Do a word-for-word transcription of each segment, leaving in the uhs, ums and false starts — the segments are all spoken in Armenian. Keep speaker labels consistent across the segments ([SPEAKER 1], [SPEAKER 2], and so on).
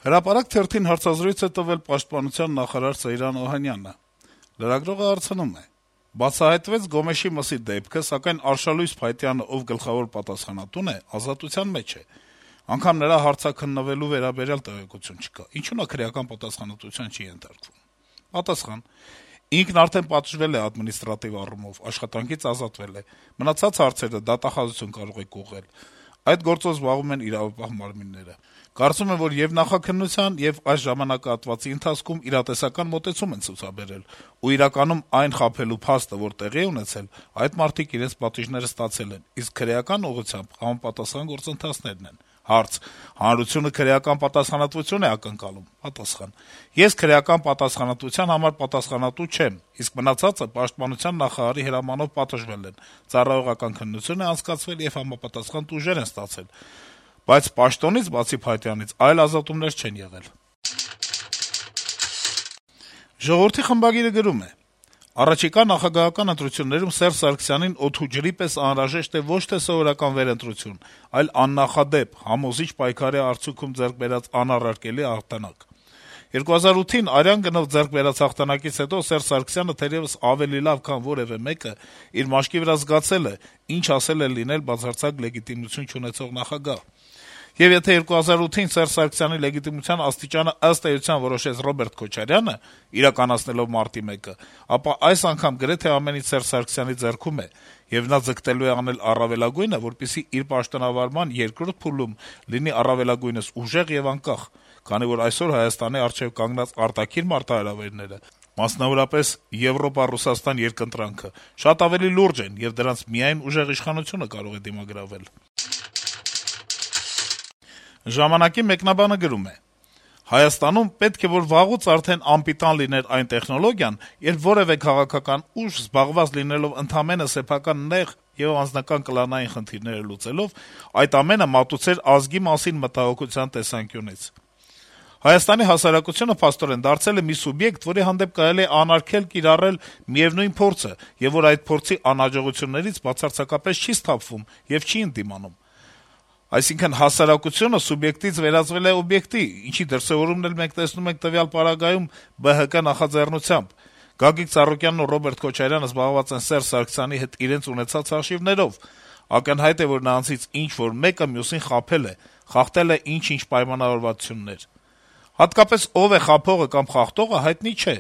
[SPEAKER 1] Հրապարակ թերթին հարցազրույց է տվել Պաշտպանության նախարար Սեյրան Օհանյանը: Լրագրողը հարցնում է. - «Բացահայտվեց Գոմեշի մսի դեպքը, սակայն Արշալույս Փայտյանը, ով գլխավոր պատասխանատուն է, ազատության մեջ է: Անգամ նրա հարցաքննվելու վերաբերյալ տեղեկություն չկա: Ինչո՞ւ նա քրեական պատասխանատվության չի ենթարկվում»: Պատասխան. - «Ինքն արդեն պատժվել է ադմինիստրատիվ առումով, աշխատանքից ազատվել է: Մնացած հարցերը դատախազություն կարող եք ուղղել: Այդ գործով զբաղվում են իրավապահ մարմինները: Կարծում եմ, որ եւ նախաքննության, եւ այս ժամանակահատվածի ընթացքում իրատեսական մոտեցում են ցուցաբերել, ու իրականում այն խաբելու փաստը, որ տեղի է ունեցել, այդ մարդիկ իրենց պատիժները ստացել են, իսկ քրեական ուղղությամբ համապատասխան գործընթացներն են»: Հարց. - «Հանրությունը քրեական պատասխանատվություն է ակնկալում»: Պատասխան. - «Ես քրեական պատասխանատվության համար պատասխանատու չեմ, իսկ մնացածը Պաշտպանության նախարարի հրամանով պատժվել են, ծառայողական քննություն է անցկացվել եւ համապատասխան տուժեր են ստացել, բայց պաշտոնից, բացի Փայտյանից, այլ ազատումներ չեն եղել»: «Ժողովուրդ»-ի խմբագիրը գրում է. - «Առաջիկա նախագահական ընտրություններում Սերժ Սարգսյանին օդու ջրի պես անհրաժեշտ է ոչ թե սովորական վերընտրություն, այլ աննախադեպ, համոզիչ պայքարի արդյունքում ձեռք բերած անառարկելի հաղթանակ: երկու հազար ութին արյան գնով ձեռք բերած հաղթանակից հետո Սերժ Սարգսյանը թերեւս ավելի լավ, քան որեւէ մեկը, իր մաշկի վրա զգացել է, ինչ ասել է լինել բացարձակ լեգիտիմություն չունեցող նախագահ: Եվ եթե երկու հազար ութին Սերժ Սարգսյանի լեգիտիմության աստիճանը ըստ էության որոշեց Ռոբերտ Քոչարյանը` իրականացնելով Մարտի մեկը, ապա այս անգամ գրեթե ամեն ինչ Սերժ Սարգսյանի ձեռքում է, եւ նա ձգտելու է անել առավելագույնը, որպեսզի իր պաշտոնավարման երկրորդ փուլում լինի առավելագույնս ուժեղ եւ անկախ, քանի որ այսօր Հայաստանի առջեւ կանգնած արտաքին մարտահրավերները, մասնավորապես Եվրոպա-Ռուսաստան երկընտրանքը, շատ ավելի լուրջ են, եւ դրանց միայն ուժեղ իշխանությունը կարող է դիմագրավել»: «Ժամանակ»-ի մեկնաբանը գրում է. - «Հայաստանում պետք է որ վաղուց արդեն անպիտան լիներ այն տեխնոլոգիան, երբ որեւէ քաղաքական ուժ, զբաղված լինելով ընդամենը սեփական նեղ եւ անձնական կլանային խնդիրները լուծելով, այդ ամենը մատուցեր ազգի մասին մտահոգության տեսանկյունից: Հայաստանի հասարակությունը, փաստորեն, դարձել է մի սուբյեկտ, որի հանդեպ կարելի է անարգել կիրառել միեւնույն փորձը, եւ որ այդ փորձի անհաջողություններից բացարձակապես չի սթափվում եւ չի ընդդիմանում: Այսինքն` հասարակությունը սուբյեկտից վերածվել է օբյեկտի, ինչի դրսեւորումն էլ մենք տեսնում ենք տվյալ պարագայում Բը Հը Կը նախաձեռնությամբ: Գագիկ Ծառուկյանն ու Ռոբերտ Քոչարյանը զբաղված են Սերժ Սարգսյանի հետ իրենց ունեցած հաշիվներով: Ակնհայտ է, որ նրանցից ինչ-որ մեկը մյուսին խաբել է, խախտել է ինչ-ինչ պայմանավորվածություններ: Հատկապես ով է խաբողը կամ խախտողը, հայտնի չէ: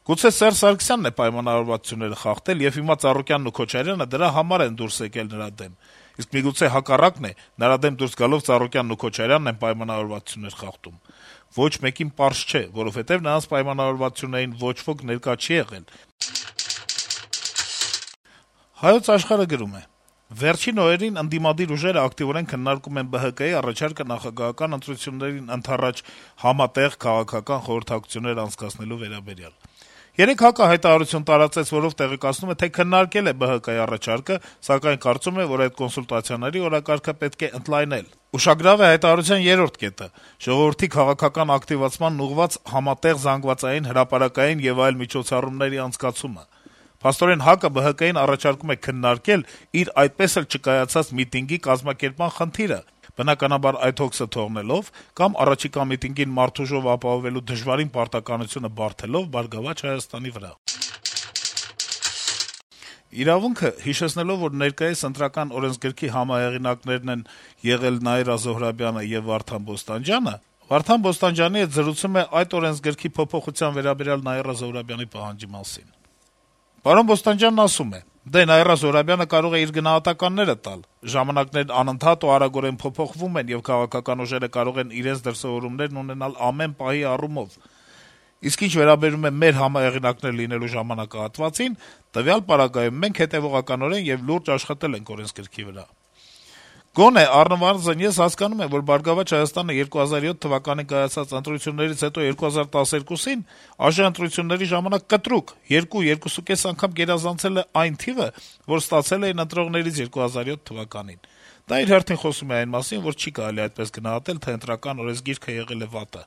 [SPEAKER 1] Գուցե Սերժ Սարգսյանն է պայմանավորվածությունները խախտել, եւ հիմա Ծառուկյանն ու Քոչարյանը դրա համար են դուրս եկել նրա դեմ: Իսկ միգուցե հակառակն է, նրա դեմ դուրս գալով Ծառուկյանն ու Քոչարյանն են պայմանավորվածություններ խախտում: Ոչ մեկին պարզ չէ, որովհետեւ նրանց պայմանավորվածություններին ոչ ոք ներկա չի եղել»: «Հայոց Աշխարհ»-ը գրում է. - «Վերջին օրերին ընդդիմադիր ուժերը ակտիվորեն քննարկում են Բը Հը Կը-ի առաջարկը նախագահական ընտրություններին ընդառաջ համատեղ քաղաքական խորհրդակցություններ անցկացնելու վերաբերյալ: Երեկ ՀԱԿ-ը հայտարարություն տարածեց, որով տեղեկացնում է, թե քննարկել է Բը Հը Կը-ի առաջարկը, սակայն կարծում է, որ այդ կոնսուլտացիաների օրակարգը պետք է ընդլայնել: Ուշագրավ է հայտարարության երրորդ կետը` ժողովրդի քաղաքական ակտիվացմանն ուղղված համատեղ զանգվածային, հրապարակային եւ այլ միջոցառումների անցկացումը: Փաստորեն ՀԱԿ-ը Բը Հը Կը-ին առաջարկում է քննարկել իր այդպես էլ չկայացած միտինգի կազմակերպման խնդիրը, բնականաբար այդ հոգսը թողնելով կամ առաջիկա միտինգին մարդուժով ապահովելու դժվարին պարտականությունը բարդելով «Բարգավաճ Հայաստան»-ի վրա»: «Իրավունք»-ը, հիշեցնելով, որ ներկայիս Ընտրական օրենսգրքի համահեղինակներն են եղել Նաիրա Զոհրաբյանը եւ Վարդան Բոստանջյանը, Վարդան Բոստանջյանի հետ զրուցում է այդ օրենսգրքի փոփոխության վերաբերյալ Նաիրա Զոհրաբյանի պահանջի մասին: Պարոն Բոստանջյանն ասում է. - «Դե, Նաիրա Զոհրաբյանը կարող է իր գնահատականները տալ: Ժամանակներն անընդհատ ու արագորեն փոփոխվում են, եւ քաղաքական ուժերը կարող են իրենց դրսեւորումներն ունենալ ամեն պահի առումով: Իսկ ինչ վերաբերում է մեր համահեղինակներ լինելու ժամանակահատվածին, տվյալ պարագայում մենք հետեւողականորեն եւ լուրջ աշխատել ենք օրենսգրքի վրա: Գոնե, առնվազն ես հասկանում եմ, որ «Բարգավաճ Հայաստան»-ը երկու հազար յոթ թվականին կայացած ընտրություններից հետո երկու հազար տասներկուսին ԱԺ ընտրությունների ժամանակ կտրուկ երկու, երկուսուկես անգամ գերազանցել է այն թիվը, որ ստացել էին ընտրողներից երկու հազար յոթ թվականին: Դա իր հերթին խոսում է այն մասին, որ չի կարելի այդպես գնահատել, թե Ընտրական օրենսգիրքը եղել է վատը»: